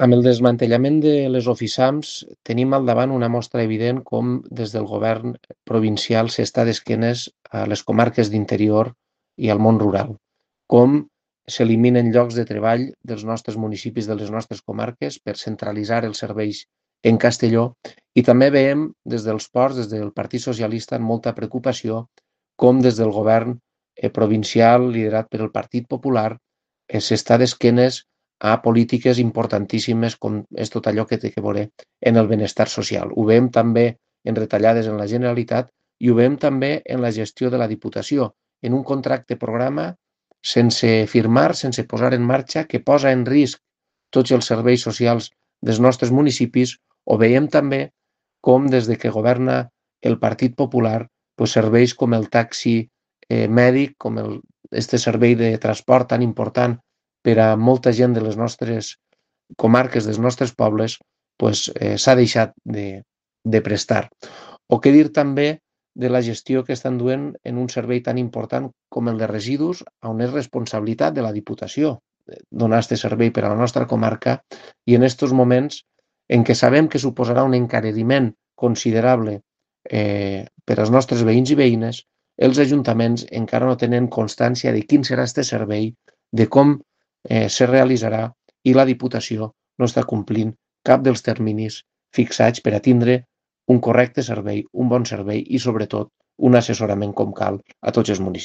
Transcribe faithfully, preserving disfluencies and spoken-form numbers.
Amb el desmantellament de les oficams tenim al davant una mostra evident com des del govern provincial s'està d'esquenes a les comarques d'interior i al món rural, com s'eliminen llocs de treball dels nostres municipis, de les nostres comarques, per centralitzar els serveis en Castelló, i també veiem des dels ports, des del Partit Socialista, amb molta preocupació, com des del govern provincial liderat per el Partit Popular s'està d'esquenes a polítiques importantíssimes com és tot allò que té a veure en el benestar social. Ho veiem també en retallades en la Generalitat i ho veiem també en la gestió de la Diputació, en un contracte programa sense firmar, sense posar en marxa, que posa en risc tots els serveis socials dels nostres municipis. O veiem també com des de que governa el Partit Popular, doncs serveis com el taxi eh, mèdic, com el, este servei de transport tan important per a molta gent de les nostres comarques, dels nostres pobles, pues, eh, s'ha deixat de, de prestar. O què dir també de la gestió que estan duent en un servei tan important com el de residus, on és responsabilitat de la Diputació donar aquest servei per a la nostra comarca, i en aquests moments en què sabem que suposarà un encariment considerable eh, per als nostres veïns i veïnes, els ajuntaments encara no tenen constància de quin serà aquest servei, de com eh, se realitzarà, i la Diputació no està complint cap dels terminis fixats per a tindre un correcte servei, un bon servei i, sobretot, un assessorament com cal a tots els municipis.